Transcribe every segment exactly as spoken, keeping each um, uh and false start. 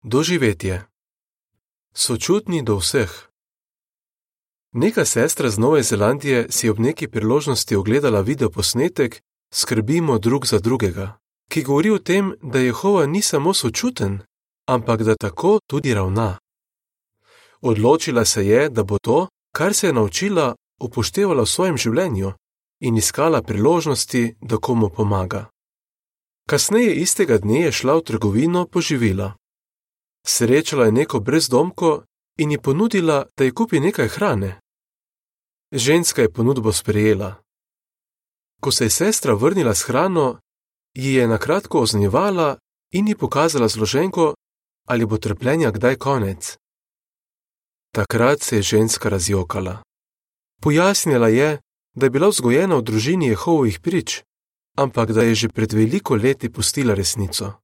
Doživetje. Sočutni do vseh. Neka sestra z Nove Zelandije si ob neki priložnosti ogledala videoposnetek Skrbimo drug za drugega, ki govori o tem, da Jehova ni samo sočuten, ampak da tako tudi ravna. Odločila se je, da bo to, kar se je naučila, upoštevala v svojem življenju in iskala priložnosti, da komu pomaga. Kasneje istega dne je šla v trgovino po živila. Srečala je neko brezdomko in ji ponudila, da ji kupi nekaj hrane. Ženska je ponudbo sprejela. Ko se je sestra vrnila s hrano, ji je nakratko oznanjevala in ji pokazala zloženko, ali bo trpljenja kdaj konec. Takrat se je ženska razjokala. Pojasnila je, da je bila vzgojena v družini Jehovovih prič, ampak da je že pred veliko leti pustila resnico.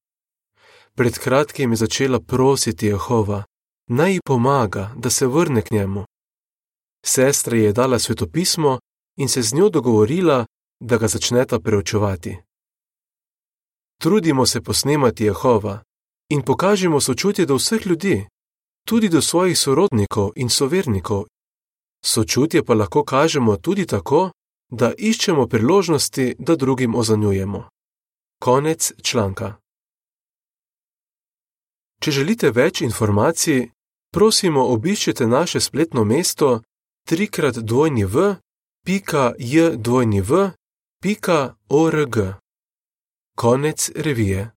Pred kratkim je začela prositi Jehova, naj ji pomaga, da se vrne k njemu. Sestra ji je dala svetopismo in se z njo dogovorila, da ga začneta preučevati. Trudimo se posnemati Jehova in pokažimo sočutje do vseh ljudi, tudi do svojih sorodnikov in sovernikov. Sočutje pa lahko kažemo tudi tako, da iščemo priložnosti, da drugim ozanjujemo. Konec članka. Če želite več informacij, prosimo obiščite naše spletno mesto trikrat dvojni v pika j dvojni v pika org. Konec revije.